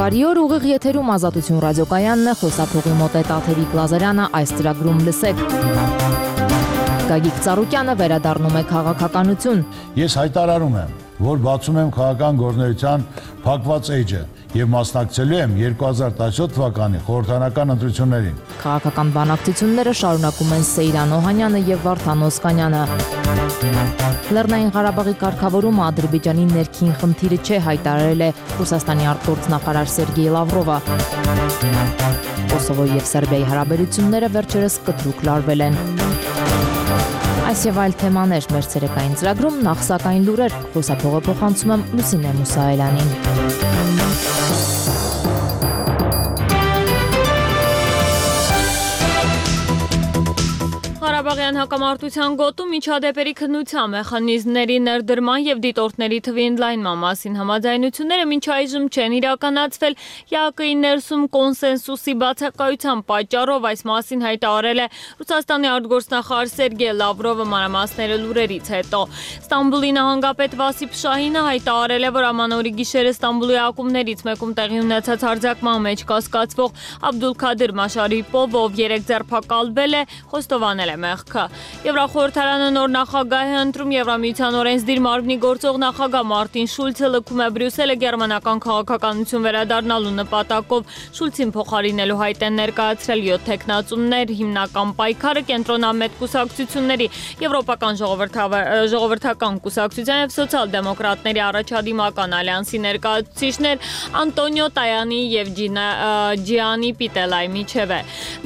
Բարի օր, ուղիղ եթերում Ազատություն ռադիոկայանն է, խոսափողի մոտ է Տաթևիկ Լազարյանը, այս ծրագրում լսեք։ Գագիկ Ծառուկյանը վերադառնում է քաղաքականություն։ Ես հայտարարում եմ, որ բացում եմ քաղաքական գործունեության փակված էջը եւ մասնակցելու եմ 2017 թվականի խորհրդարանական ընտրություններին։ Քաղաքական բանակցությունները շարունակում են Սեյրան Օհանյանը եւ Վարդան Օսկանյանը։ Լեռնային Ղարաբաղի կարգավորումը Ադրբեջանի ներքին խնդիրը չէ, հայտարարել է Ռուսաստանի արտգործնախարար Սերգեյ Լավրովը։ Կոսովոյի եւ Սերբիայի հարաբերությունները վերջերս կտրուկ լարվել են։ Այս եւ այլ թեմաներ մեր ցերեկային ծրագրում, նախ սակայն լուրեր, խոսափողը փոխանցում եմ Լուսինե Մուսայելյանին։ Ղարաբաղյան հակամարտության գոտում միջադեպերի քննության մեխանիզմների ներդրման եւ դիտորդների թվի ընդլայնման մասին համաձայնությունները մինչ այժմ չեն իրականացվել։ ԵԱԿ-ի ներսում կոնսենսուսի բացակայության պատճառով այս մասին հայտարարել է Ռուսաստանի արտգործնախարար Սերգեյ Լավրովը մանրամասները լուրերից հետո։ Ստամբուլի նահանգապետ Վասիփ Շահինը հայտարարել է, որ ամանորի գիշերը Ստամբուլի ակումբներից մեկում տեղի ունեցած հարձակման մեջ կասկածվող Աբդուլքադիր Մաշարիպովը, ով 3 ձերբակալվել է, խոստովանել է մեղքը։ Եվրախորհրդարանը նոր նախագահ է ընտրում, Եվրամիության օրենսդիր մարմնի գործող նախագահ Մարտին Շուլցը լքում է Բրյուսելը գերմանական քաղաքականություն վերադառնալու նպատակով։ Շուլցին փոխարինելու հայտ են ներկայացրել 7 թեկնածուներ, հիմնական պայքարը կենտրոնամետ կուսակցությունների, Եվրոպական ժողովրդական կուսակցության եւ սոցիալ-դեմոկրատների առաջադիմական ալյանսի ներկայացուցիչներ Անտոնիո Տայանի եւ Ջիանի Պիտելայի միջև է։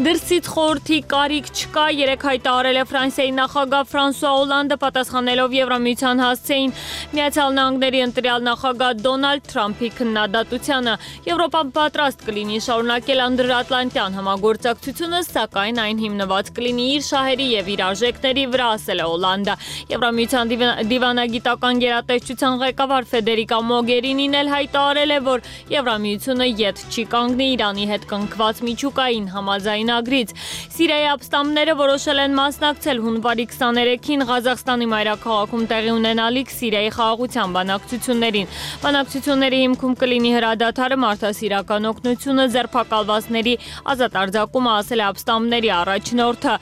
Դրսից խորհրդի կարիք չկա, երեք հայտարարել է Ֆրանսիայի նախագահ Ֆրանսուଆ Օլանդը, պատասխանելով Եվրամիության հասցեին Միացյալ Նահանգների ընտրյալ նախագահ Դոնալդ Թրամփի քննադատությանը։ Եվրոպան պատրաստ կլինի շարունակել անդրատլանտյան համագործակցությունը, սակայն այն հիմնված կլինի իր շահերի եւ իր արժեքների վրա, ասել է Օլանդը։ Եվրամիության դիվանագիտական գերատեսչության ղեկավար Ֆեդերիկա Մոգերինին էլ հայտարարել է, որ Եվրամիությունը ետ չի կանգնի Իրանի հետ կնքված միջուկային համաձայնագրից։ Սիրիայի ապստամբները որոշել են մասնակցել հունվարի 23-ին Ղազախստանի մայրաքաղաքում տեղի ունենալիք Սիրիայի խաղաղության բանակցություններին։ Բանակցությունների հիմքում կլինի հրադադարը, մարդասիրական օգնությունը, ձերբակալվածների ազատ արձակումը, ասել է ապստամբների առաջնորդը։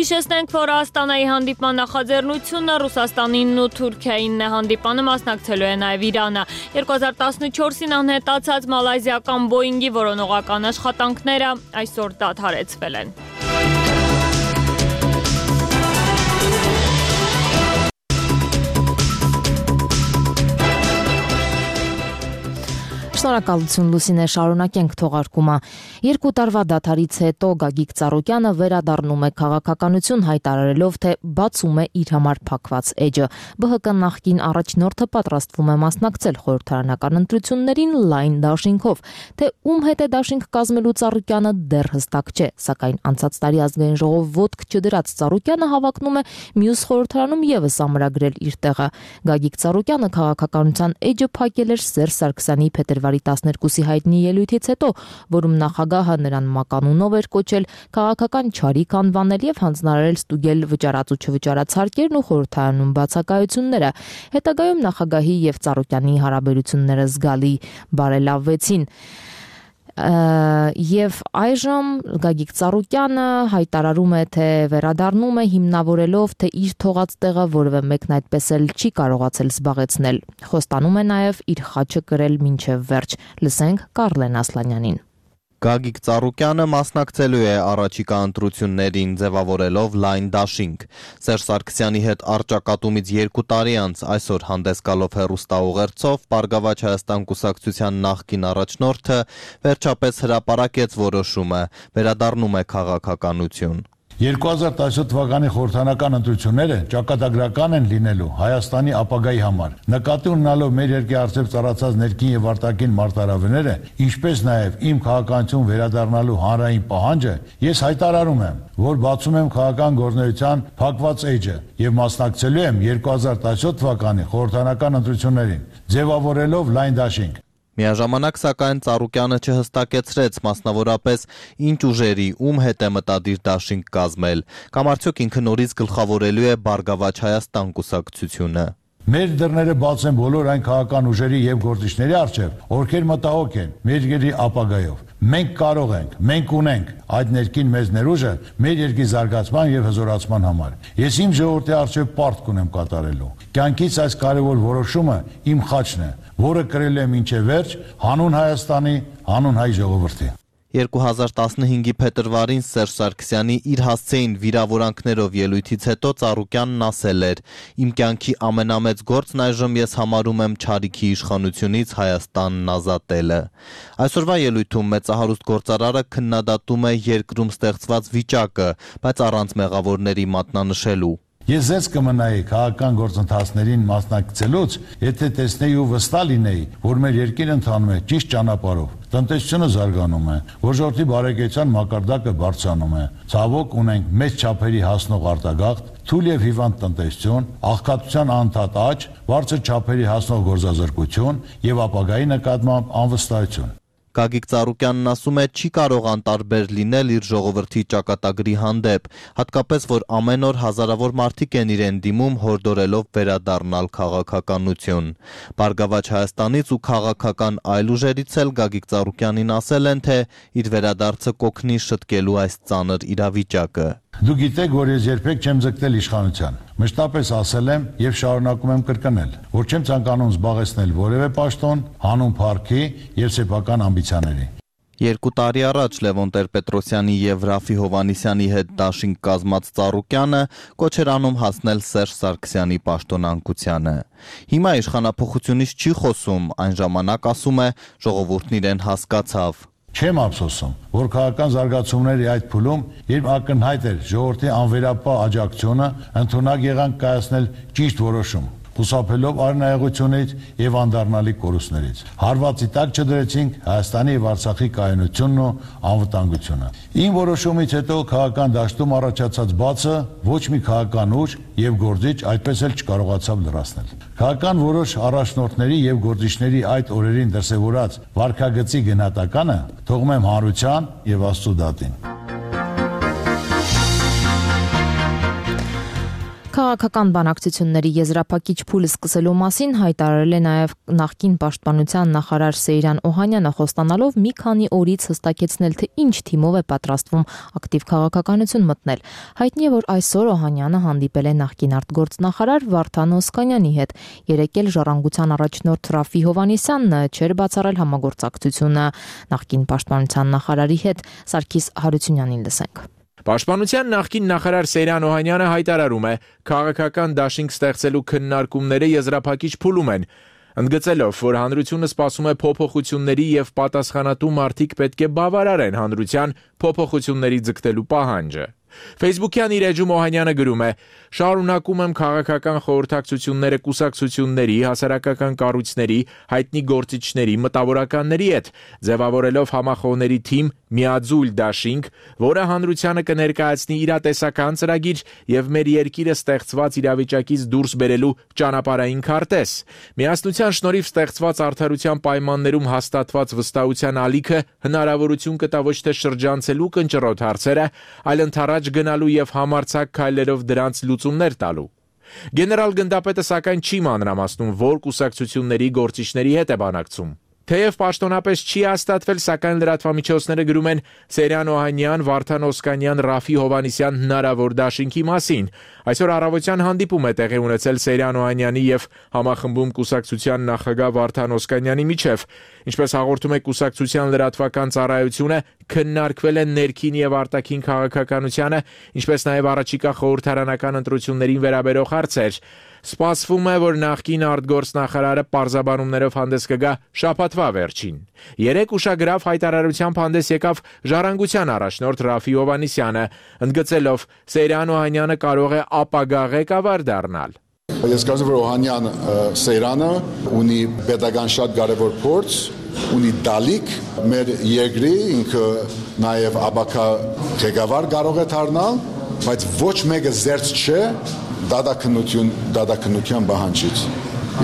Հիշեցնենք, որ Աստանայի հանդիպման նախաձեռնությունը Ռուսաստանին ու Թուրքիային է, հանդիպանը մասնակցելու է նաև Իրանը։ 2014-ին անհետացած մալայզիական Բոինգի որոնողական աշխատանքները այսօր դադարեցվել են։ Շնորհակալություն Լուսինե, շարունակենք թողարկումը։ 2 տարվա դադարից հետո Գագիկ Ծառուկյանը վերադառնում է քաղաքականություն, հայտարարելով, թե բացում է իր համար փակված էջը։ ԲՀԿ նախկին առաջնորդը պատրաստվում է մասնակցել խորհրդարանական ընտրություններին լայն դաշինքով, թե ում հետ է դաշինք կազմելու Ծառուկյանը դեռ հստակ չէ, սակայն անցած տարի ազգային ժողով ոտք չդրած Ծառուկյանը հավակնում է մյուս խորհրդարանում եւս ամրագրել իր տեղը։ Գագիկ Ծառուկյանը քաղաքականության էջը փակել էր Սերժ Սարգսյանի փետրվարի 12-ի հայտնի ելույթից հետո, որում նախագահը նրան մականունով էր կոչել, քաղաքական չարիք անվանել եւ հանձնարարել ստուգել վճարած ու չվճարած հարկերն ու խորհրդարանում բացակայությունները։ Հետագայում նախագահի եւ Ծառուկյանի հարաբերությունները զգալի բարելավվեցին։ Եվ այժմ Գագիկ Ծառուկյանը հայտարարում է, թե վերադառնում է հիմնավորելով, թե իր թողած տեղը որևէ մեկն այդպես էլ չի կարողացել զբաղեցնել։ Խոստանում է նաև իր խաչը կրել մինչև վերջ։ Լսենք Կարլեն Ասլանյանին։ Գագիկ Ծառուկյանը մասնակցելու է առաջիկա ընտրություններին, ձևավորելով լայն դաշինք։ Սերժ Սարգսյանի հետ առճակատումից 2 տարի անց այսօր հանդես գալով հեռուստաուղերձով Բարգավաճ Հայաստան կուսակցության նախկին առաջնորդը վերջապես հրապարակեց որոշումը, վերադառնում է քաղաքականություն։ 2017 թվականի խորհրդարանական ընտրությունները ճակատագրական են լինելու Հայաստանի ապագայի համար։ Նկատի ունենալով մեր երկրի առջև ծառացած ներքին եւ արտաքին մարտահրավերները, ինչպես նաեւ իմ քաղաքականություն վերադառնալու հանրային պահանջը, ես հայտարարում եմ, որ բացում եմ քաղաքական գործունեության փակված էջը եւ մասնակցելու եմ 2017 թվականի խորհրդարանական ընտրություններին, ձևավորելով լայն դաշինք։ Միաժամանակ սակայն Ծառուկյանը չհստակեցրեց մասնավորապես ինչ ուժերի ում հետ է մտադիր դաշինք կազմել, կամ արդյոք ինքը նորից գլխավորելու է Բարգավաճ Հայաստան կուսակցությունը։ Մեր դռները բաց են բոլոր այն քաղաքական ուժերի եւ գործիչների առջեւ, ովքեր մտահոգ են մեր երկրի ապագայով։ Մենք կարող ենք, մենք ունենք այդ ներքին մեծ ներուժը մեր երկրի զարգացման եւ հզորացման համար։ Ես իմ ժողովրդի առջեւ պարտք ունեմ կատարելու։ Կյանքից այս կարևոր որոշումը իմ խաչն է, որը կրել եմ մինչև վերջ հանուն Հայաստանի, հանուն հայ ժողովրդի։ 2015-ի փետրվարին Սերժ Սարգսյանի իր հասցեին վիրավորանքներով ելույթից հետո Ծառուկյանն ասել էր. «Իմ կյանքի ամենամեծ գործն այժմ ես համարում եմ Չարիքի իշխանությունից Հայաստանն ազատելը»։ Այսօրվա ելույթում մեծահարուստ գործարարը քննադատում է երկրում ստեղծված վիճակը, բայց առանց մեղավորների մատնանշելու։ Ես ձեզ կմնայի քաղաքական գործընթացներին մասնակցելուց, եթե տեսնեի ու վստահ լինեի, որ մեր երկիրը ընթանում է ճիշտ ճանապարհով, տնտեսությունը զարգանում է, ժողովրդի բարեկեցության մակարդակը բարձրանում է, ցավոք ունենք մեծ չափերի հասնող արտագաղթ, թույլ եւ հիվանդ տնտեսություն, աղքատության անդադար աճ, բարձր չափերի հասնող գործազրկություն եւ ապագայի նկատմամբ անվստահություն։ Գագիկ Ծառուկյանն ասում է, չի կարող անտարբեր լինել իր ժողովրդի ճակատագրի հանդեպ, հատկապես որ ամեն օր հազարավոր մարդիկ են իրեն դիմում հորդորելով վերադառնալ քաղաքականություն։ Բարգավաճ Հայաստանից ու քաղաքական այլ ուժերից էլ Գագիկ Ծառուկյանին ասել են, թե իր վերադարձը կօգնի շտկելու այս ծանր իրավիճակը։ Դու գիտեք, որ ես երբեք չեմ ձգտել իշխանության։ Մշտապես ասել եմ եւ շարունակում եմ կրկնել, որ չեմ ցանկանում զբաղեցնել որևէ պաշտոն հանուն փառքի եւ սեփական ամբիցիաների։ 2 տարի առաջ Լևոն Տեր-Պետրոսյանի եւ Ռաֆի Հովհաննիսյանի հետ դաշինք կազմած Ծառուկյանը կոչ էր անում հասնել Սերժ Սարգսյանի պաշտոնանկությանը։ Հիմա իշխանափոխությունից չի խոսում, այն ժամանակ ասում է, ժողովուրդն իրեն հասկացավ։ Չեմ ափսոսում, որ քաղաքական զարգացումների այդ փուլում, երբ ակնհայտ էր ժողովրդի անվերապահ աջակցությունը, ընդունակ եղանք կայացնել ճիշտ որոշում, խուսափելով արնայողությունից եւ անդառնալի կորուստներից։ Հարվածի տակ չդրեցինք Հայաստանի եւ Արցախի կայունությունն ու անվտանգությունը։ Իմ որոշումից հետո քաղաքական դաշտում առաջացած բացը ոչ մի քաղաքական ուժ եւ գործիչ այդպես էլ չկարողացավ լրացնել։ Քաղաքական որոշ առաջնորդների եւ գործիչների այդ օրերին դրսեւորած վարքագծի գնահատականը թողում եմ հանրության եւ Աստծո դատին։ Քաղաքական բանակցությունների եզրափակիչ փուլը սկսելու մասին հայտարարել է նաև նախկին պաշտպանության նախարար Սեյրան Օհանյանը, խոստանալով մի քանի օրից հստակեցնել, թե ինչ թիմով է պատրաստվում ակտիվ քաղաքականություն մտնել։ Հայտնի է, որ այսօր Օհանյանը հանդիպել է նախկին արտգործնախարար Վարդան Օսկանյանի հետ։ Երեկ էլ ժառանգության առաջնորդ Ռաֆի Հովհաննիսյանն չէր բացառել համագործակցությունը նախկին պաշտպանության նախարարի հետ։ Սարգիս Հարությունյանին լսենք։ Պաշտպանության նախկին նախարար Սեյրան Օհանյանը հայտարարում է, քաղաքական դաշինք ստեղծելու քննարկումները եզրափակիչ փուլում են, ընդգծելով, որ հանրությունը սպասում է փոփոխությունների եւ պատասխանատու մարդիկ պետք է բավարարեն հանրության փոփոխությունների ձգտելու պահանջը։ Facebook-յան իր էջում Օհանյանը գրում է. «Շարունակում եմ քաղաքական խորհրդակցությունները կուսակցությունների, հասարակական կառույցների, հայտնի գործիչների, մտավորականների հետ, ձևավորելով համախոհների թիմ միաձուլ դաշինք, որը հանրությանը կներկայացնի իրատեսական ծրագիր եւ մեր երկիրը ստեղծված իրավիճակից դուրս բերելու ճանապարհային քարտեզ։ Միասնության շնորհիվ ստեղծված արդարության պայմաններում հաստատված վստահության ալիքը հնարավորություն կտա ոչ թե շրջանցելու կնճռոտ հարցերը, այլ ընդառաջ գնալու եւ համարձակ քայլերով դրանց լուծումներ տալու»։ Գեներալ գնդապետը սակայն չի մանրամասնում, որ կուսակցությունների գործիչների հետ է բանակցում։ Թեև պաշտոնապես չի հաստատվել, սակայն լրատվամիջոցները գրում են Սեյրան Օհանյան, Վարդան Օսկանյան, Ռաֆի Հովհաննիսյան հնարավոր դաշինքի մասին։ Այսօր առավոտյան հանդիպում է տեղի ունեցել Սեյրան Օհանյանի եւ համախմբում կուսակցության նախագահ Վարդան Օսկանյանի միջև։ Ինչպես հաղորդում է կուսակցության լրատվական ծառայությունը, քննարկվել են ներքին եւ արտաքին քաղաքականությանը, ինչպես նաեւ առաջիկա խորհրդարանական ընտրություններին վերաբերող հարցեր։ Սպասվում է, որ նախկին արտգործնախարարը պարզաբանումներով հանդես կգա շաբաթվա վերջին։ Երեկ ուշագրավ հայտարարությամբ հանդես եկավ ժառանգության առաջնորդ Ռաֆի Հովհաննիսյանը, ընդգծելով Սեյրան Օհանյանը կարող է ապագա ղեկավար դառնալ։ Ես կարծում եմ, որ Օհանյան Սեյրանը ունի պետական շատ կարևոր փորձ, ունի դալիք մեր երկրի, ինքը նաև ապագա ղեկավար կարող է դառնալ, բայց ոչ մեկը զերծ չէ դատաքննության պահանջից։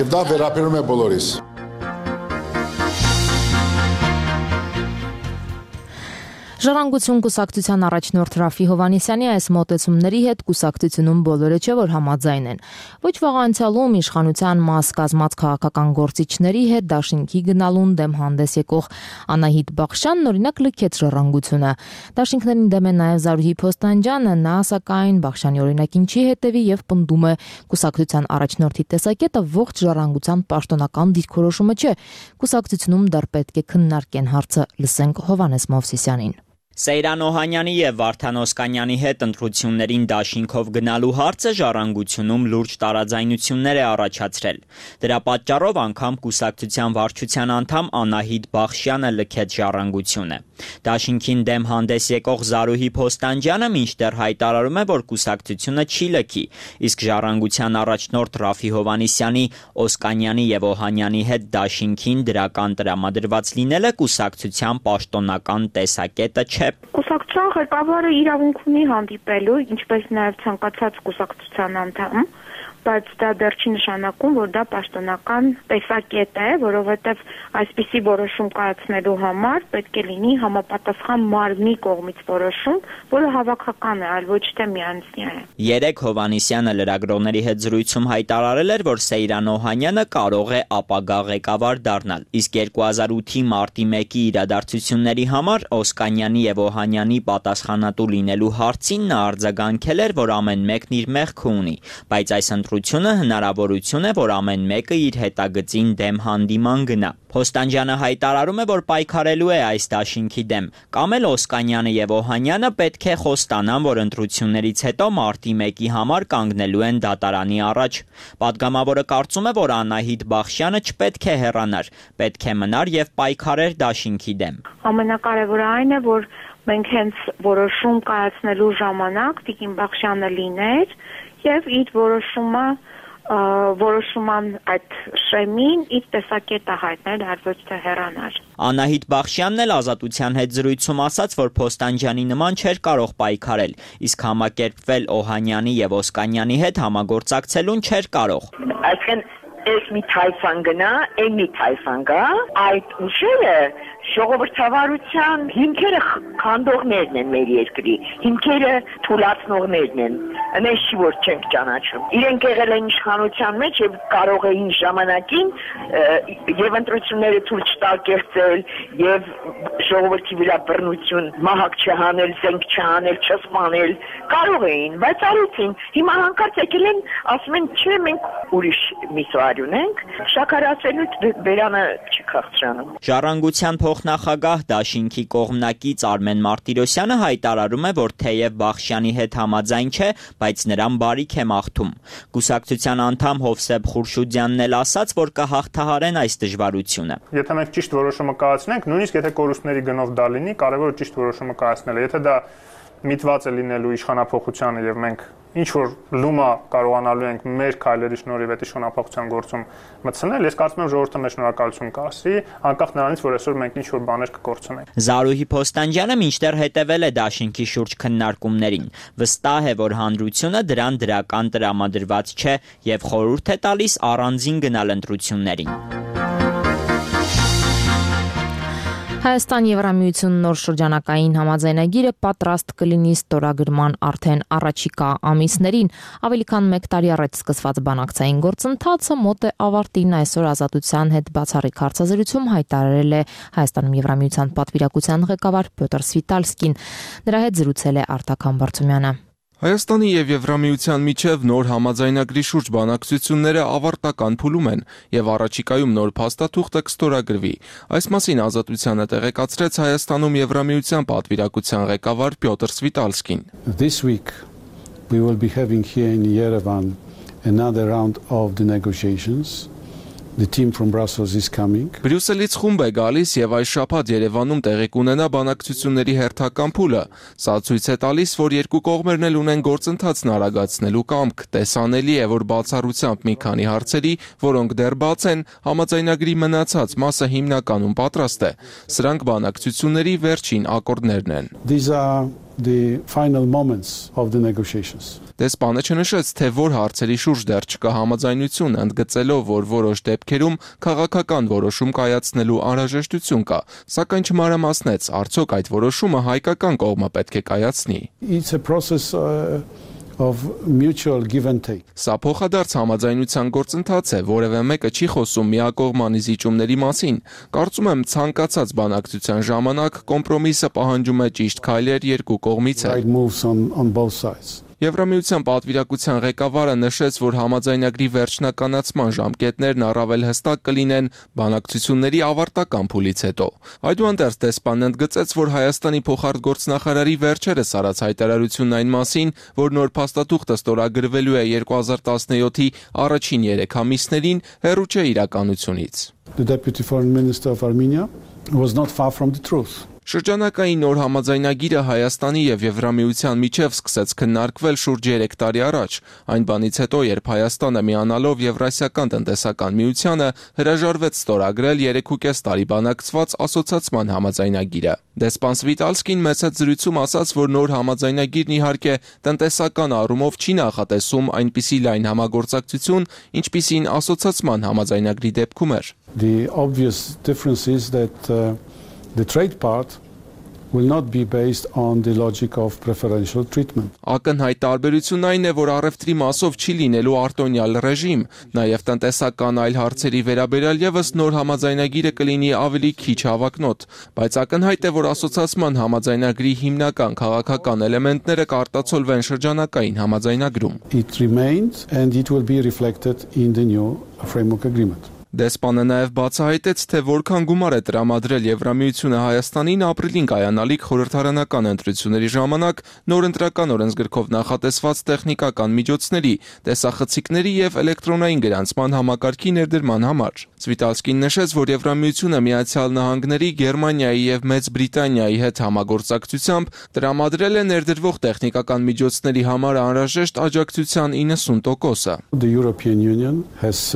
Եվ դա վերաբերում է բոլորիս։ Ժառանգություն կուսակցության առաջնորդ Ռաֆի Հովհաննիսյանի այս մոտեցումների հետ կուսակցությունում բոլորը չէ որ համաձայն են։ Ոչ վաղ անցյալում իշխանության մաս կազմած քաղաքական գործիչների հետ դաշինքի գնալուն դեմ հանդես եկող Անահիտ Բախշյանն օրինակ լքեց Ժառանգությունը։ Դաշինքներին դեմ է նաև Զարուհի Փոստանջյանը, նա սակայն Բախշյանի օրինակին չի հետևի եւ պնդում է կուսակցության առաջնորդի տեսակետը ողջ Ժառանգության պաշտոնական դիրքորոշումը չէ։ Կուսակցությունում դեռ պետք է քննարկեն հարցը, լսենք Հովհաննես Մովսիսյանին։ Սեյրան Օհանյանի եւ Վարդան Օսկանյանի հետ ընտրություններին դաշինքով գնալու հարցը Ժառանգությունում լուրջ տարաձայնություններ է առաջացրել։ Դրա պատճառով անգամ կուսակցության վարչության անդամ Անահիտ Բախշյանը լքեց Ժառանգությունը։ Դաշինքին դեմ հանդես եկող Զարուհի Փոստանջյանը մինչդեռ հայտարարում է, որ կուսակցությունը չի լքի, իսկ Ժառանգության առաջնորդ Ռաֆի Հովհաննիսյանի, Օսկանյանի եւ Օհանյանի հետ դաշինքին դրական տրամադրված լինելը կուսակցության պաշտոնական տեսակետը չէ։ Կուսակցության ղեկավարը իրավունք ունի հանդիպելու, ինչպես նաև ցանկացած կուսակցության անդամ, բայց դա դեռ չի նշանակում, որ դա պաշտոնական տեսակետ է, որովհետև այսպիսի որոշում կայացնելու համար պետք է լինի համապատասխան մարմնի կողմից որոշում, որը հավաքական է, այլ ոչ թե միանձնյա է։ Երեկ Հովհաննիսյանը լրագրողների հետ զրույցում հայտարարել էր, որ Սեյրան Օհանյանը կարող է ապագա ղեկավար դառնալ, իսկ 2008-ի մարտի 1-ի իրադարձությունների համար Օսկանյանի եւ Օհանյանի պատասխանատու լինելու հարցին նա արձագանքել էր, որ ամեն մեկն իր մեղքը ունի, բայց այս ընտրությունը հնարավորություն է, որ ամեն մեկը իր հետագծին դեմ հանդիման գնա։ Փոստանջյանը հայտարարում է, որ պայքարելու է այս դաշինքի դեմ, կամ էլ Օսկանյանը եւ Օհանյանը պետք է խոստանան, որ ընտրություններից հետո մարտի 1-ի համար կանգնելու են դատարանի առաջ։ Պատգամավորը կարծում է, որ Անահիտ Բախշյանը չպետք է հեռանար, պետք է մնար եւ պայքարեր դաշինքի դեմ։ Ամենակարևորը այն է, որ մենք հենց որոշում կայացնելու ժամանակ Տիկին Բախշյանը լիներ եւ իր որոշման այդ շեմին իր տեսակետը հայտնել, այլ ոչ թե հեռանար։ Անահիտ Բախշյանն էլ Ազատության հետ զրույցում ասաց, որ Փոստանջյանի նման չէր կարող պայքարել, իսկ համակերպվել Օհանյանի եւ Օսկանյանի հետ համագործակցելուն չէր կարող։ Այսինքն ես մի թայֆան գնա, մի թայֆան գա, այդ ուժերը ժողովրդավարության հիմքերը քանդողներն են մեր երկրի, հիմքերը թուլացնողներն են, մենք չի որ չենք ճանաչում։ Իրենք եղել են իշխանության մեջ եւ կարող էին ժամանակին եւ ընտրությունները թույլ չտալ կերտել եւ ժողովրդի վրա բռնություն, մահակ չհանել, զենք չանել, չսպանել, կարող էին, բայց արեցին։ Հիմա հանկարծ եկել են, ասում են, չէ, մենք ուրիշ միսուար ունենք, շաքարացելու բերանը չի քաղցրանում։ Ժառանգության փոխնախագահ դաշինքի կողմնակից Արմեն Մարտիրոսյանը հայտարարում է, որ թեև Բախշյանի հետ համաձայն չէ, բայց նրան բարիք է մաղթում։ Կուսակցության անդամ Հովսեփ Խուրշուդյանն էլ ասաց, որ կհաղթահարեն այս դժվարությունը։ Եթե մենք ճիշտ որոշումը կայացնենք, նույնիսկ եթե կորուստների գնով դա լինի, կարևորը ճիշտ որոշումը կայացնելը։ Եթե դա միտված է լինելու իշխանափոխությանը եւ մենք ինչ որ լումա կարողանալու ենք մեր քայլերի շնորհիվ այդ իշխանափոխության գործում մտցնել, ես կարծում եմ ժողովուրդը մեզ շնորհակալություն կասի, անկախ նրանից, որ այսօր մենք ինչ որ բաներ կկորցնենք։ Զարուհի Փոստանջյանը մինչդեռ հետևել է դաշինքի շուրջ քննարկումներին։ Վստահ է, որ հանրությունը դրան դրական տրամադրված չէ եւ խորհուրդ է տալիս առանձին գնալ ընտրություններին։ Հայաստան-Եվրամիություն նոր շրջանակային համաձայնագիրը պատրաստ կլինի ստորագրման արդեն առաջիկա ամիսներին։ Ավելի քան 1 տարի առաջ սկսված բանակցային գործընթացը մոտ է ավարտին, այսօր Ազատության հետ բացառիկ հարցազրույցում հայտարարել է Հայաստանում Եվրամիության պատվիրակության ղեկավար Պյոտր Սվիտալսկին։ Նրա հետ զրուցել է Արտակ Համբարձումյանը։ Հայաստանի եւ Եվրամիության միջև նոր համաձայնագրի շուրջ բանակցությունները ավարտական փուլում են եւ առաջիկայում նոր փաստաթուղթը կստորագրվի։ Այս մասին Ազատությանը տեղեկացրեց Հայաստանում Եվրամիության պատվիրակության ղեկավար Պյոտր Սվիտալսկին։ This week we will be having here in Yerevan another round of the negotiations. The team from Brussels is coming. Բրյուսելից խումբ է գալիս եւ այս շաբաթ Երևանում տեղի կունենա բանակցությունների հերթական փուլը։ Սա ցույց է տալիս, որ երկու կողմերն էլ ունեն գործընթացն արագացնելու կամք։ Տեսանելի է, որ բացառությամբ մի քանի հարցերի, որոնք դեռ բաց են, համաձայնագրի մնացած մասը հիմնականում պատրաստ է։ Սրանք բանակցությունների վերջին ակորդներն են։ These are the final moments of the negotiations. Դեսպանը չնշեց, թե որ հարցերի շուրջ դեռ չկա համաձայնություն, ընդգծելով, որ որոշ դեպքերում քաղաքական որոշում կայացնելու անհրաժեշտություն կա, սակայն չմանրամասնեց, արդյոք այդ որոշումը հայկական կողմը պետք է կայացնի։ It's a process of mutual give and take. Սա փոխադարձ համաձայնության գործընթաց է, որևէ մեկը չի խոսում միակողմանի զիջումների մասին։ Կարծում եմ, ցանկացած բանակցության ժամանակ կոմպրոմիսը պահանջում է ճիշտ քայլեր երկու կողմից է։ Right moves on both sides. Եվրամիության պատվիրակության ղեկավարը նշեց, որ համաձայնագրի վերջնականացման ժամկետներն առավել հստակ կլինեն բանակցությունների ավարտական փուլից հետո։ Այդուհանդերձ դեսպանն ընդգծեց, որ Հայաստանի փոխարտգործնախարարի վերջերս արած հայտարարությունն այն մասին, որ նոր փաստաթուղթը ստորագրվելու է 2017-ի առաջին 3 ամիսներին, հեռու չէ իրականությունից։ The Deputy Foreign Minister of Armenia was not far from the truth. Շրջանակային նոր համաձայնագիրը Հայաստանի եւ Եվրամիության միջև սկսեց քննարկվել շուրջ 3 տարի առաջ, այն բանից հետո, երբ Հայաստանը միանալով Եվրասիական տնտեսական միությանը հրաժարվեց ստորագրել 3.5 տարի բանակցված ասոցիացման համաձայնագիրը։ Դեսպան Սվիտալսկին մեծ զրույցում ասաց, որ նոր համաձայնագիրն իհարկե տնտեսական առումով չի նախատեսում այնպիսի լայն համագործակցություն, ինչպիսին ասոցիացման համաձայնագրի դեպքում էր։ The obvious difference is that the trade part will not be based on the logic of preferential treatment. Ակնհայտ տարբերությունն այն է, որ առևտրի մասով չի լինելու արտոնյալ ռեժիմ, նաև տնտեսական այլ հարցերի վերաբերյալ եւս նոր համաձայնագիրը կլինի ավելի քիչ հավակնոտ, բայց ակնհայտ է, որ ասոցիացման համաձայնագրի հիմնական քաղաքական էլեմենտները կարտացոլվեն շրջանակային համաձայնագրում։ It remains and it will be reflected in the new framework agreement. Դեսպանը նաև բացահայտեց, թե որքան գումար է տրամադրել Եվրամիությունը Հայաստանին ապրիլին կայանալիք խորհրդարանական ընտրությունների ժամանակ նոր ընտրական օրենսգրքով նախատեսված տեխնիկական միջոցների, տեսախցիկների եւ էլեկտրոնային գրանցման համակարգի ներդրման համար։ Սվիտալսկին նշեց, որ Եվրամիությունը Միացյալ Նահանգների, Գերմանիայի եւ Մեծ Բրիտանիայի հետ համագործակցությամբ տրամադրել է ներդրվող տեխնիկական միջոցների համար անհրաժեշտ աջակցության 90%-ը։ The European Union has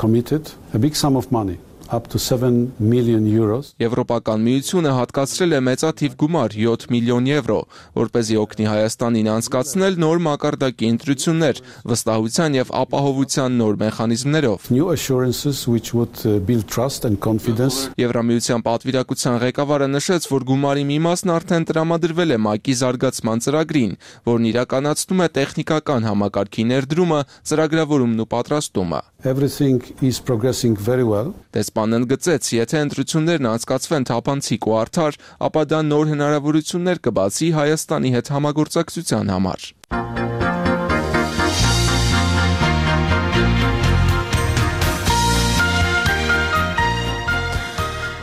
committed a big sum of money, up to 7 million euros. Եվրոպական միությունը հատկացրել է մեծաթիվ գումար 7 միլիոն եվրո, որպեսզի օգնի Հայաստանին անցկացնել նոր մակարդակի ընտրություններ, վստահության եւ ապահովության նոր մեխանիզմներով։ New assurances which would build trust and confidence. Եվրամիության պատվիրակության ղեկավարը նշեց, որ գումարի մի մասն արդեն տրամադրվել է ՄԱԿ-ի զարգացման ծրագրին, որն իրականացնում է տեխնիկական համակարգի ներդրումը, ծրագրավորումն ու պատրաստումը։ Everything is progressing very well. Դեսպանն ընդգծեց, եթե ընտրություններն անցկացվեն թափանցիկ ու արդար, ապա դա նոր հնարավորություններ կբացի Հայաստանի հետ համագործակցության համար։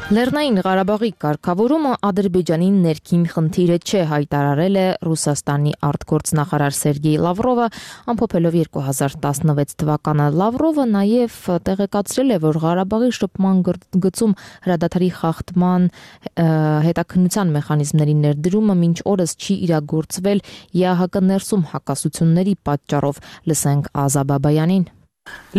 Լեռնային Ղարաբաղի կարգավորումը Ադրբեջանի ներքին խնդիրը չէ, հայտարարել է Ռուսաստանի արտգործնախարար Սերգեյ Լավրովը, ամփոփելով 2016 թվականը։ Լավրովը նաև տեղեկացրել է, որ Ղարաբաղի շփման գծում հրադադարի խախտման հետաքննության մեխանիզմների ներդրումը մինչ օրս չի իրագործվել ԵԱՀԿ ներսում հակասությունների պատճառով։ Լսենք Ազա Բաբայանին։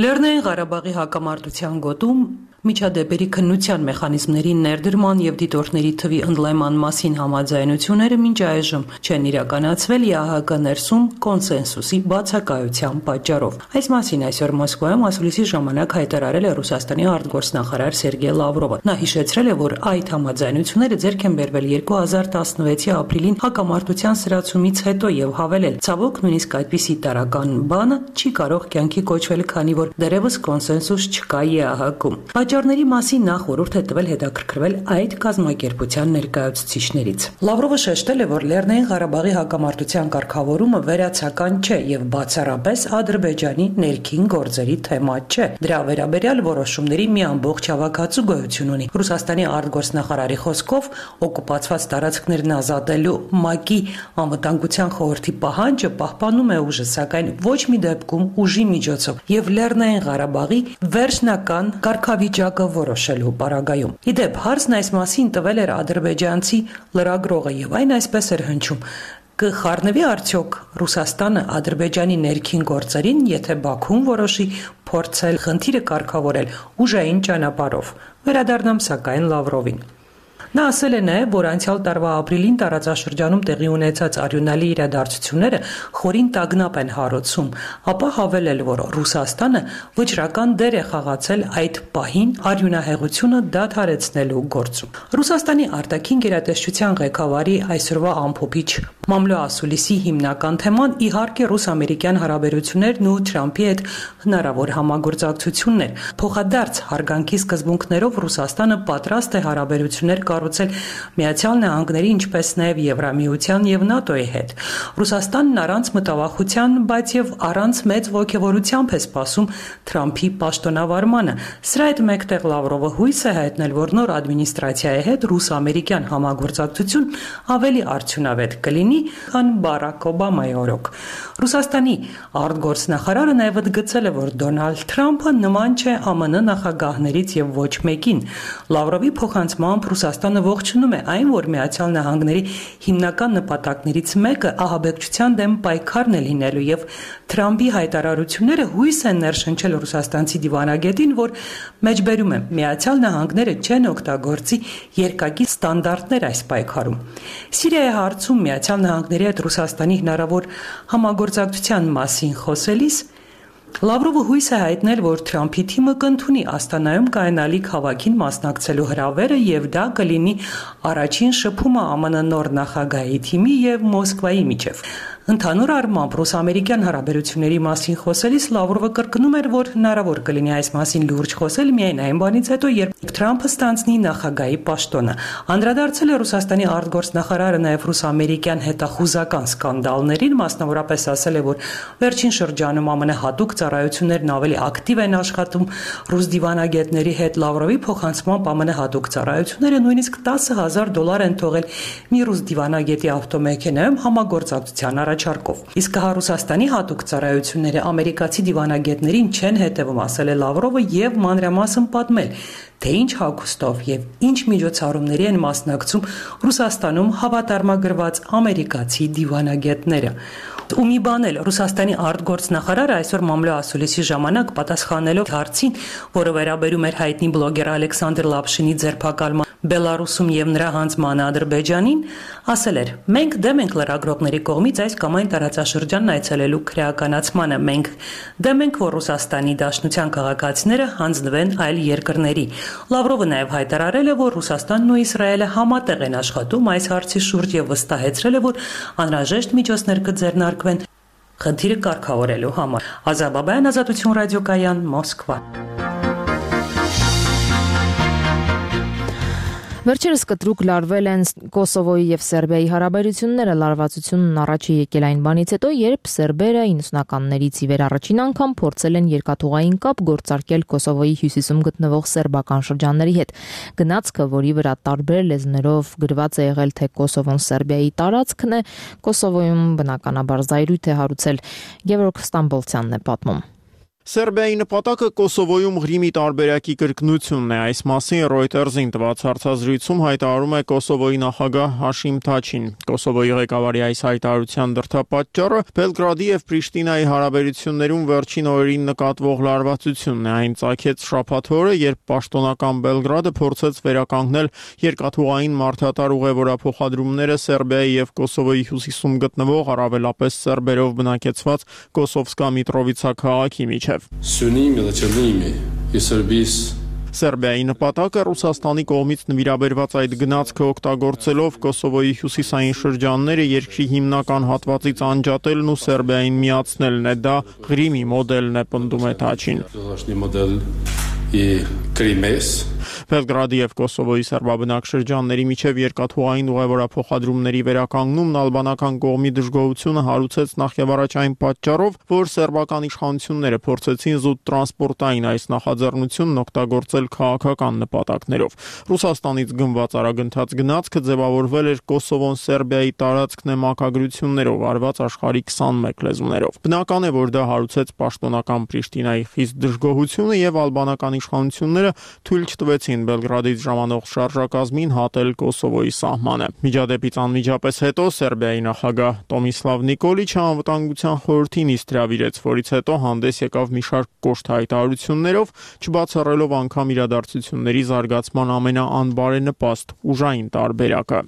Լեռնային Ղարաբաղի հակամարտության գոտում միջադեպերի քննության մեխանիզմների ներդրման եւ դիտորդների թվի ընդլայնման մասին համաձայնությունները մինչ այժմ չեն իրականացվել ԵԱՀԿ ներսում կոնսենսուսի բացակայության պատճառով։ Այս մասին այսօր Մոսկվայում ասուլիսի ժամանակ հայտարարել է Ռուսաստանի արտգործնախարար Սերգեյ Լավրովը։ Նա հիշեցրել է, որ այդ համաձայնությունները ձեռք են բերվել 2016-ի ապրիլին հակամարտության սրացումից հետո եւ հավելել. ցավոք նույնիսկ այդպիսի տարական բանը չի կարող կյանքի կոչվել, քանի որ դեռևս կոնսենսուս չկա ԵԱՀԿ-ում։ Պատճառների մասին նա խորհուրդ է տվել հետաքրքրվել այդ կազմակերպության ներկայացուցիչներից։ Լավրովը շեշտել է, որ Լեռնային Ղարաբաղի հակամարտության կարգավորումը վերացական չէ եւ բացառապես Ադրբեջանի ներքին գործերի թեմա չէ։ Դրա վերաբերյալ որոշումների մի ամբողջ հավաքածու գոյություն ունի։ Ռուսաստանի արտգործնախարարի խոսքով օկուպացված տարածքներն ազատելու ՄԱԿ-ի անվտանգության խորհրդի պահանջը պահպանում է ուժը, սակայն ոչ մի դեպքում ուժի միջոցով եւ Լեռնային Ղարաբաղի վերջնական կարգավիճակը որոշելու պարագայում։ Իդեպ հարցն այս մասին տվել էր ադրբեջանցի լրագրողը եւ այն այսպես էր հնչում. կխառնվի արդյոք Ռուսաստանը Ադրբեջանի ներքին գործերին, եթե Բաքուն որոշի փորձել խնդիրը կարգավորել ուժային ճանապարհով։ Վերադառնամ սակայն Լավրովին։ Նա ասել է նաև, որ անցյալ տարվա ապրիլին տարածաշրջանում տեղի ունեցած արյունալի իրադարձությունները խորին տագնապ են հարուցում, ապա հավելել, որ Ռուսաստանը վճռական դեր է խաղացել այդ պահին արյունահեղությունը դադարեցնելու գործում։ Ռուսաստանի արտաքին գերատեսչության ղեկավարի այսօրվա ամփոփիչ Մամլո Ասուլիսի հիմնական թեման իհարկե ռուս-ամերիկյան հարաբերություններն ու Թրամփի հետ հնարավոր համագործակցություններ։ Փոխադարձ հարգանքի սկզբունքներով Ռուսաստանը պատրաստ է հարաբերություններ կառուցել Միացյալ Նահանգների, ինչպես նաև Եվրամիության եւ ՆԱՏՕ-ի հետ։ Ռուսաստանն առանց մտավախության, բայց եւ առանց մեծ ոգևորությամբ է սպասում Թրամփի պաշտոնավարմանը։ Սրա հետ մեկտեղ Լավրովը հույս է հայտնել, որ նոր ադմինիստրացիայի հետ ռուս-ամերիկյան համագործակցություն ավելի արդյունավետ կլինի, քան Բարակ Օբամայի օրոք։ Ռուսաստանի արտգործնախարարը նաև ընդգծել է, որ Դոնալդ Թրամփը նման չէ ԱՄՆ նախագահներից եւ ոչ մեկին։ Լավրովի փոխանցմամբ Ռուսաստանը ողջունում է այն, որ Միացյալ Նահանգների հիմնական նպատակներից մեկը ահաբեկչության դեմ պայքարն է լինելու եւ Թրամփի հայտարարությունները հույս են ներշնչել ռուսաստանցի դիվանագետին, որ մեջբերում է Միացյալ Նահանգները չեն օգտագործի երկակի ստանդարտներ այս պայքարում։ Սիրիայի հարցում Միացյալ Նահանգների հետ Ռուսաստանի հնարավոր համագործակցության մասին խոսելիս Լավրովը հույս է հայտնել, որ Թրամփի թիմը կընդունի Աստանայում կայանալիք հավաքին մասնակցելու հրավերը եւ դա կլինի առաջին շփումը ԱՄՆ նոր նախագահի թիմի եւ Մոսկվայի միջեւ։ Ընդհանուր առմամբ ռուս-ամերիկյան հարաբերությունների մասին խոսելիս Լավրովը կրկնում էր, որ հնարավոր կլինի այս մասին լուրջ խոսել միայն այն բանից հետո, երբ Թրամփը ստանձնի նախագահի պաշտոնը։ Անդրադարձել է Ռուսաստանի արտգործնախարարը նաև ռուս-ամերիկյան հետախուզական սկանդալներին, մասնավորապես ասել է, որ վերջին շրջանում ԱՄՆ հատուկ ծառայություններն ավելի ակտիվ են աշխատում ռուս դիվանագետների հետ։ Լավրովի փոխանցմամբ ԱՄՆ հատուկ ծառայությունները նույնիսկ $10,000 են թողել մի ռուս դիվանագետի ավտոմեքենայում համագործակցության առաջարկով։ Իսկ հա Ռուսաստանի հատուկ ծառայությունները ամերիկացի դիվանագետներին չեն հետևում, ասել է Լավրովը եւ մանրամասն պատմել, թե ինչ հագուստով եւ ինչ միջոցառումների են մասնակցում Ռուսաստանում հավատարմագրված ամերիկացի դիվանագետները։ Ու մի բան էլ Ռուսաստանի արտգործնախարարը այսօր Մամլո Ասուլիսի ժամանակ պատասխանելով հարցին, որը վերաբերում էր հայտնի բլոգեր Ալեքսանդր Լապշինի ձերբակալման Բելարուսում եւ նրա հանձնմանը Ադրբեջանին, ասել էր. «Մենք դեմ ենք լրագրողների կողմից այս կամ այն տարածաշրջանն այցելելու քրեականացմանը։ Մենք դեմ ենք, որ Ռուսաստանի Դաշնության քաղաքացիները հանձնվեն այլ երկրների»։ Լավրովը նաև հայտարարել է, որ Ռուսաստանն ու Իսրայելը համատեղ են աշխատում այս հարցի շուրջ եւ վստահեցրել է, որ անհրաժեշտ միջոցներ կձեռնարկվեն խնդիրը կարգավորելու համար։ Ազա Բաբայան, Ազատություն ռադիոկայան, Մոսկվա։ Վերջերս կտրուկ լարվել են Կոսովոյի եւ Սերբիայի հարաբերությունները, լարվածությունն առաջ է եկել այն բանից հետո, երբ սերբերը 90-ականներից ի վեր առաջին անգամ փորձել են երկաթուղային կապ գործարկել Կոսովոյի հյուսիսում գտնվող սերբական շրջանների հետ։ Գնացքը, որի վրա տարբեր լեզուներով գրված է եղել, թե Կոսովոն Սերբիայի տարածքն է, Կոսովոյում բնականաբար զայրույթ է հարուցել։ Գևորգ Ստամբոլցյանն է պատմում։ Սերբիայի նպատակը Կոսովոյում Ղրիմի տարբերակի կրկնությունն է։ Այս մասին Reuters-ին տված հարցազրույցում հայտարարում է Կոսովոյի նախագահ Հաշիմ Թաչին։ Կոսովոյի ղեկավարի այս հայտարարության դրդապատճառը Բելգրադի եւ Պրիշտինայի հարաբերություններում վերջին օրերին նկատվող լարվածությունն է։ Այն ծագեց շաբաթ օրը, երբ պաշտոնական Բելգրադը փորձեց վերականգնել երկաթուղային մարդատար ուղևորափոխադրումները Սերբիայի եւ Կոսովոյի հյուսիսում գտնվող առավելապես սերբերով բնակեցված Կոսովսկա Միտրովիցա քաղաքի միջև։ Սերբիայի նպատակը Ռուսաստանի կողմից նվիրաբերված այդ գնացքը օգտագործելով Կոսովոյի հյուսիսային շրջանները երկրի հիմնական հատվածից անջատելն ու Սերբիային միացնելն է, դա Ղրիմի մոդելն է, պնդում է Թաչին։ Բելգրադի եւ Կոսովոյի սերբաբնակ շրջանների միջև երկաթուղային ուղևորափոխադրումների վերականգնումն ալբանական կողմի դժգոհությունը հարուցեց նախ եւ առաջ այն պատճառով, որ սերբական իշխանությունները փորձեցին զուտ տրանսպորտային այս նախաձեռնությունն օգտագործել քաղաքական նպատակներով։ Ռուսաստանից գնված արագընթաց գնացքը ձևավորվել էր Կոսովոն Սերբիայի տարածքն է մակագրություններով արված աշխարհի 21 լեզուներով։ Բնական է, որ դա հարուցեց պաշտոնական Պրիշտինայի խիստ դժգոհությունը եւ ալբանական իշխանությունները թույլ չտվեցին Բելգրադից ժամանող շարժակազմին հատել Կոսովոյի սահմանը։ Միջադեպից անմիջապես հետո Սերբիայի նախագահ Տոմիսլավ Նիկոլիչը անվտանգության խորհրդին իսկ հրավիրեց, որից հետո հանդես եկավ մի շարք կոշտ հայտարարություններով, չբացառելով անգամ իրադարձությունների զարգացման ամենաանբարենպաստ ուժային տարբերակը։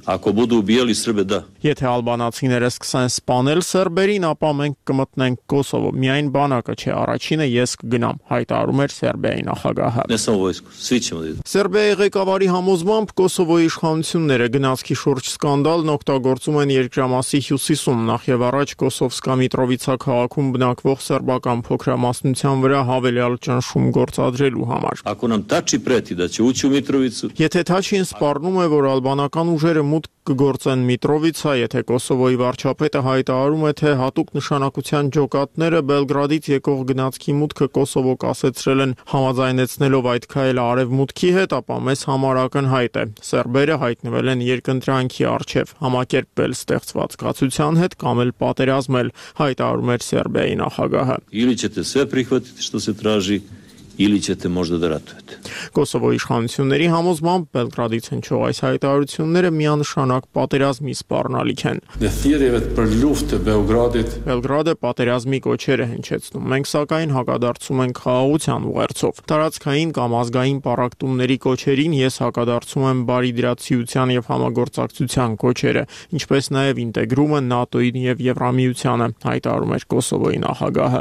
Եթե ալբանացիները սկսեն սպանել սերբերին, ապա մենք կմտնենք Կոսովո։ Միայն բանակը չէ, առաջինը ես կգնամ, հայտարարում էր Սերբիայի նախագահը։ Սերբիայի ղեկավարի համոզմամբ Կոսովոյի իշխանությունները գնացքի շուրջ սկանդալն օգտագործում են երկրամասի հյուսիսում, նախ եւ առաջ Կոսովսկա Միտրովիցա քաղաքում բնակվող սերբական փոքրամասնության վրա հավելյալ ճնշում գործադրելու համար։ Եթե Թաչին սպառնում է, որ ալբանական ուժերը մուտք կգործեն Միտրովիցա, եթե Կոսովոյի վարչապետը հայտարարում է, թե հատուկ նշանակության ջոկատները Բելգրադից եկող գնացքի մուտքը Կոսովո կասեցրել են համաձայնեցնելով այդ քայլը արևմուտքի հետ, ապա մեզ համար ակնհայտ է։ Սերբերը հայտնվել են երկընտրանքի առջև, համակերպվել ստեղծված կացության հետ կամ էլ պատերազմել, հայտարարում էր Սերբիայի նախագահը։ Կոսովոյի իշխանությունների համոզմամբ Բելգրադից հնչող այս հայտարարությունները միանշանակ պատերազմի սպառնալիք են։ Բելգրադը պատերազմի կոչեր է հնչեցնում, մենք սակայն հակադարձում ենք խաղաղության ուղերձով։ Տարածքային կամ ազգային պառակտումների կոչերին ես հակադարձում եմ բարիդրացիության եւ համագործակցության կոչերը, ինչպես նաեւ ինտեգրումը ՆԱՏՕ-ին եւ Եվրամիությանը, հայտարարում էր Կոսովոյի նախագահը։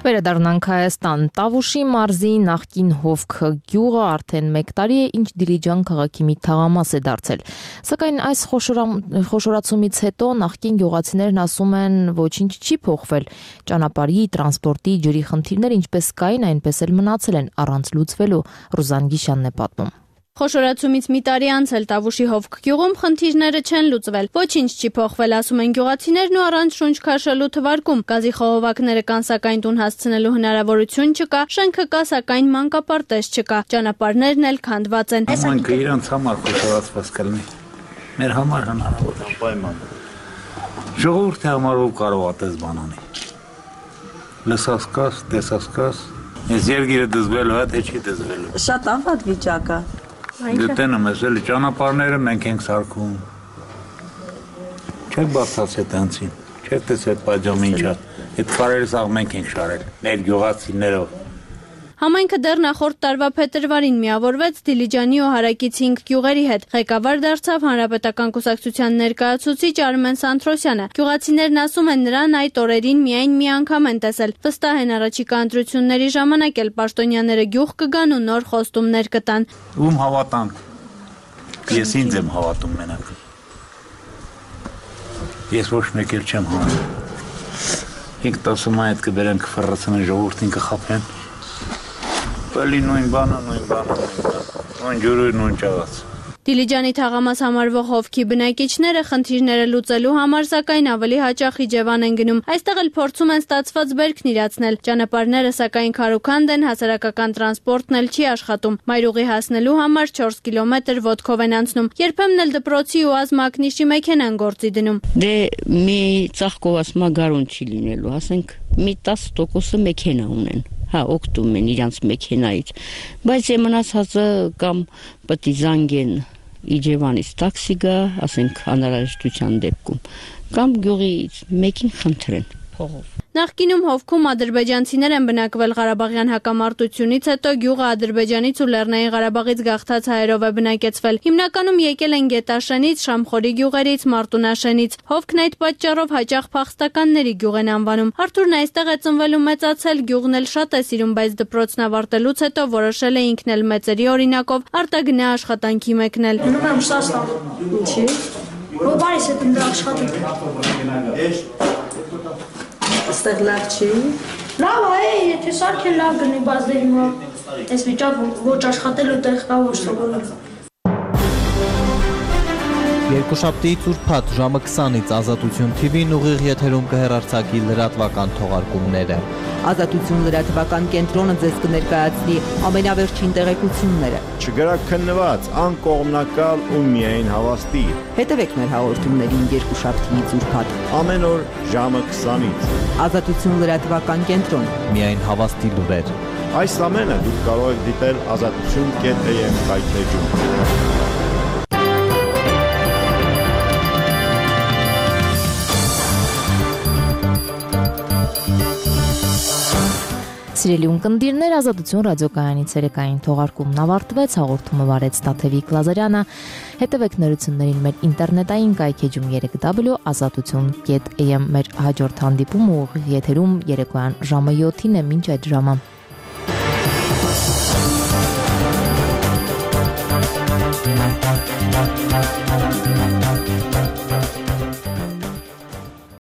Վերադառնանք Հայաստան։ Տավուշի մարզի նախկին Հովք գյուղը արդեն 1 տարի է, ինչ Դիլիջան քաղաքի մի թաղամաս է դարձել։ Սակայն այս խոշորացումից հետո նախկին գյուղացիներն ասում են, ոչինչ չի փոխվել։ Ճանապարհի, տրանսպորտի, ջրի խնդիրները ինչպես կային, այնպես էլ մնացել են առանց լուծվելու։ Ռուզան Գիշյանն է պատմում։ Խոշորացումից մի տարի անց էլ Տավուշի Հովք գյուղում խնդիրները չեն լուծվել։ Ոչինչ չի փոխվել, ասում են գյուղացիներն ու առանց շունչ քաշելու թվարկում։ Գազի խողովակները կան, սակայն տուն հասցնելու հնարավորություն չկա, շենքը կա, սակայն մանկապարտեզ չկա, ճանապարհներն էլ քանդված են։ Ոմանքը իրանց համար խոշորացված կլինի։ Մեր համար հնարավոր է պայման։ Ժողովուրդի համար ով կարող է այդպես բան անի։ Լսասկաս, տեսասկաս, ես երկիրը դզվելու է, թե չի դզվելու։ Շատ անվատ վիճակ է։ Դետենը մեզ էլի ճանապարհները մենք ենք սարքում։ Չեք բացացել տանցին, չեք տեսել պաջամը ինչա։ Այդ քարերը սաղ մենք ենք շարել, մեր գյուղացիներով։ Համայնքը դեռ նախորդ տարվա փետրվարին միավորվեց Դիլիջանի ու Հարակից 5 գյուղերի հետ։ Ղեկավար դարձավ Հանրապետական կուսակցության ներկայացուցիչ Արմեն Սանթրոսյանը։ Գյուղացիներն ասում են, նրան այդ օրերին միայն մի անգամ են տեսել։ Վստահ են առաջիկա ընտրությունների ժամանակ էլ պաշտոնյաները գյուղ կգան ու նոր խոստումներ կտան։ Ում հավատանք։ Ես ինձ եմ հավատում մենակ։ Ես ոչ մեկ էլ չեմ հավատում։ Ինք տասում այդ կբերեն կֆռացնեն ժողովրդին կխափեն։ Պելի նույն բանը, նույն ջուրը, նույն ճաղաց։ Դիլիջանի թաղամաս համարվող Հովքի բնակիչները խնդիրները լուծելու համար սակայն ավելի հաճախ Իջևան են գնում։ Այստեղ էլ փորձում են ստացված բերքն իրացնել։ Ճանապարհները սակայն քարուքանդ են, հասարակական տրանսպորտն էլ չի աշխատում։ Մայրուղի հասնելու համար 4 կիլոմետր ոտքով են անցնում։ Երբեմն էլ դպրոցի ու ազմակնիշի մեքենան գործի դնում։ Դե մի ծաղկով ասма գարուն չի լինելու, ասենք մի 10% մեքենա ունեն։ Հա, օգտում են իրանց մեքենայից, բայց մնացածը կամ պետք է զանգեն Իջևանից տաքսի գա, ասենք անհրաժեշտության դեպքում, կամ գյուղից մեկին խնդրեն փողով։ Նախկինում Հովքում ադրբեջանցիներ են բնակվել Ղարաբաղյան հակամարտությունից հետո գյուղը Ադրբեջանից ու Լեռնային Ղարաբաղից գաղթած հայերով է բնակեցվել։ Հիմնականում եկել են Գետաշենից, Շամխորի գյուղերից, Մարտունաշենից։ Հովքն այդ պատճառով հաճախ փախստականների գյուղ են անվանում։ Արթուրն այստեղ է ծնվել ու մեծացել, գյուղն էլ շատ է սիրում, բայց դպրոցն ավարտելուց հետո որոշել է ինքն էլ մեծերի օրինակով արտագնա աշխատանքի մեկնել։ Գնում եմ Ռուսաստան։ Ինչի՞։ Որպես այդ ընդ աշխատանք։ Այստեղ լավ չի։ Լավ է, եթե սարքեն լավ գնի, բայց դե հիմա այս վիճակ ոչ աշխատելու տեղ կա ոչ սովորել։ Երկուշաբթիից ուրբաթ ժամը 20-ից Ազատություն TV-ն ուղիղ եթերում կհեռարձակի լրատվական թողարկումները։ Ազատություն լրատվական կենտրոնը ձեզ կներկայացնի ամենավերջին տեղեկությունները։ Չգրաքննված, անկողմնակալ ու միայն հավաստի։ Հետևեք մեր հաղորդումներին երկուշաբթիից ուրբաթ ամեն օր ժամը 20-ից։ Ազատություն լրատվական կենտրոն։ Միայն հավաստի լուրեր։ Այս ամենը դուք կարող եք դիտել azatutun.am կայքեջում։ Սիրելի ունկնդիրներ, Ազատություն ռադիոկայանի ցերեկային թողարկումն ավարտվեց, հաղորդումը վարեց Տաթևիկ Լազարյանը։ Հետևեք նորություններին մեր ինտերնետային կայքեջում 3w.azatutun.am։ Մեր հաջորդ հանդիպումը ուղիղ եթերում երեկոյան ժամը 7-ին է, մինչ այդ ժամը